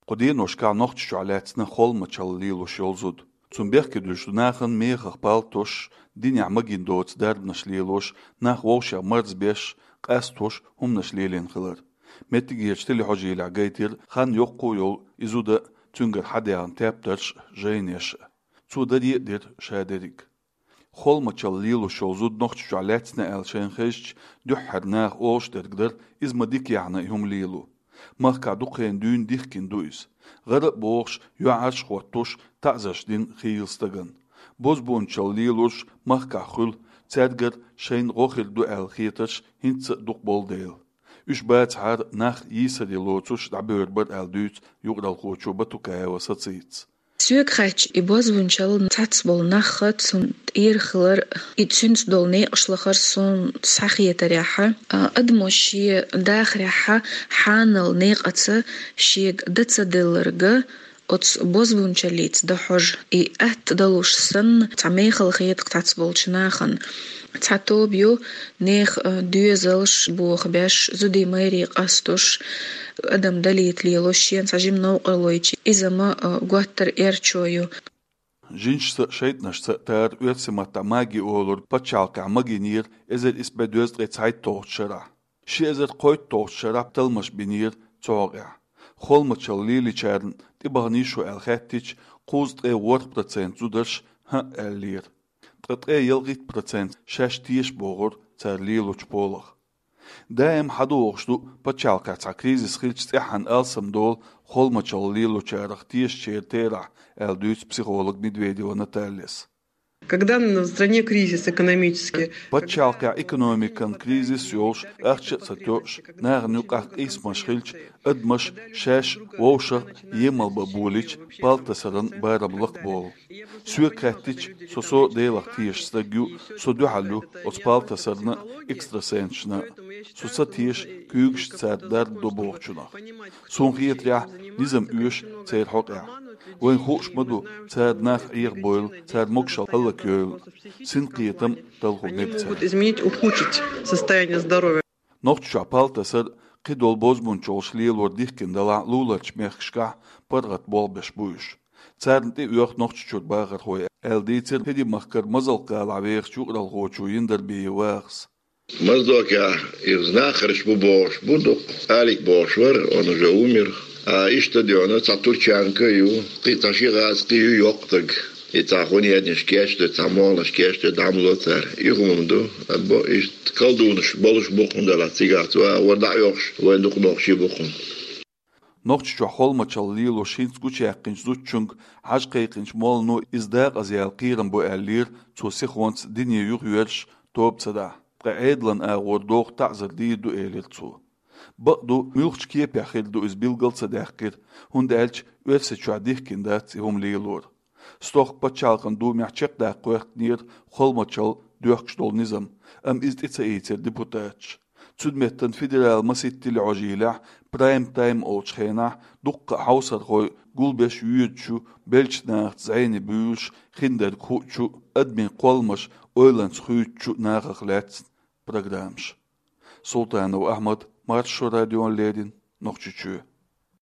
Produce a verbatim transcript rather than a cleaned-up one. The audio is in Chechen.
Кху деношкахь Нохчийчохь лаьцна холмачалла лелош йолу зуда. Цунна бехке дуьллуш ду нахана мехах палтош, динехь магийна доцу дарбанаш лелош, нах вовшех марзбеш, къастош хӀуманаш лелийна хилар. Меттигерчу телехьожийлехь гайтира хан йоккха а йолу и зуда а, цуьнгара хьадаьхна тептарш а, жайнеш а. Цо даре а дира ша дерриг. Холмачалла лелош йолу зуда Нохчийчохь лаьцна аьлла шайна хезча, дуьххьара наха олуш дерг дара, иза ма дика яхьна и хӀума лело. Махкахь дукха хенахь дуьйна дихкина ду иза. ГӀара а бохуш, йоӀарш а хӀоттош, таӀзарш дина хийла стагана. Бозбуунчалла лелорш махкахь хуьлу, цаьргара шайна гӀо хир ду аьлла хетарш хӀинца а дукха болу дела. Уьш бацахьара нах йийсаре лоцуш дӀабевр бара аьлла дуьйцу юкъаралхочо Батукаева Сацица. Соьга хаьттича, и бозбуунчалла цхьацца болу нах а, цунна тӀера хилар, и цуьнца долу некъаш лахар суна схьахетарехь, а, адамо шен дахарехь хьанал некъаца шега дан ца делларг оцу бозбуунчаллица дан хьожу. И атта далуш санна, цхьа мехала хета цхьацца болчу нахана. Цхьа тоба ю, нехан, а, доьзалш бохабеш, зудий-майрий къастош, адам далийта лелош, шена цхьа жима новкъарло йича, иза ма, а, готтар эрчо ю. Жинашца а, шайтӀанашца а тара оьрсийн маттахь маги олург пачхьалкхехь магийнера эзар исс бӀе дезткъе цхьайтталгӀачу шарахь. Ши эзар кхойтталгӀачу шарахь талламаш бинера цу хьокъехь. Холмачалла лелийчарна тӀебаханийша хьо аьлла хаьттича, кхузткъе ворхӀ процент зударша хӀаъ аьллера. Ткъа ткъе ялхитта процент шаьш теша бохура цара лелочу полах. Даим хьадогӀуш ду, пачхьалкхехь цхьа кризис хилча цӀеххьана алсамдолу холмачалла лелочарах тешачеран терахь, аьлла дуьйцу психолог Медведева Натальяс. Когда в стране кризис экономический, пачхьалкхехь экономикан кризис йолуш, ахча а ца тоьуш, нахана юкъахь къийсамаш хилча, адамаш шаьш вовшах емал бан болийча, палтасаран барам лакхаболу. Соьга хаьттича, со, со Делах тешаш стаг ю, со дуьхьал ю оцу палтасарна а, экстрасенсашна а. Со ца теша куьйгашца цара дарба до бохучунах. Суна хетарехь, низам оьшу церан хьокъехь. Вайна хууш ма ду, цара нах Ӏехабойла, цара могушалла хӀаллакйойла. Синкхетам, талхо мега цара. Могут изменить, ухудшить состояние здоровья. Нохчийчохь палтасар, кхидолу бозбуунчаллаш лелор дихкина далахь а, луларчу мехкашкахь паргӀат болх беш бу уьш. Царна тӀеоьху Нохчийчуьра бахархой, аьлла дийцира ХӀирийн махкара Мазалк-гӀалахь вехачу юкъаралхочо Яндарбиев Вахас. Моздокехь иза нахарш бу бохуш бу дукха. Алик бохуш вара, он уже умер. А иштта дуьйна цхьа турчанка а ю, кхин цхьа ши гӀазкхи ю йоккха стаг. И цхьа хуьненаш кечдо, цхьа молланаш кечдо, дӀа ма ло цара. И хӀума ду, або иштта колдунаш болуш бу хӀунда аьлча цигахь цу агӀор дӀа а йохуш, вайн дукха нохчий бу хӀума. Нохчийчохь холмачалла лелош хӀинца гучуяьккхинчу зудчуьнга хьажа кхайкхинчу моллано иза декъаза яла кхерам бу аьллера, цо сихонца дине юхаверзаш тоба ца дахь. Ткъа Ӏедалан агӀор доху таӀзар дийр ду, элира цо. Бакъду, муьлхачу кепехь хир ду иза билгал а ца даьккхира, хӀунда аьлча Оьрсийчохь дихкина дац и хӀума лелор. Стохка пачхьалкхан думехь чекхдаккха гӀоьртинера холмачалла доьхкуш долу низам, амма иза тӀе ца ийцира депутаташа. Цуьнан меттана федералан масийтта телехьожийлехь, прайм-тайм олучу хенахь, дуккха а хьовсархой гулбеш йоьдучу, беллачу нахаца зӀене буьйлуш, хиндерг хуучу, адамийн кхолламаш ойланца хуьйцучу нахах лаьцна программаш. Султанов Ахьмад, Маршо радиона леррина, Нохчийчоь.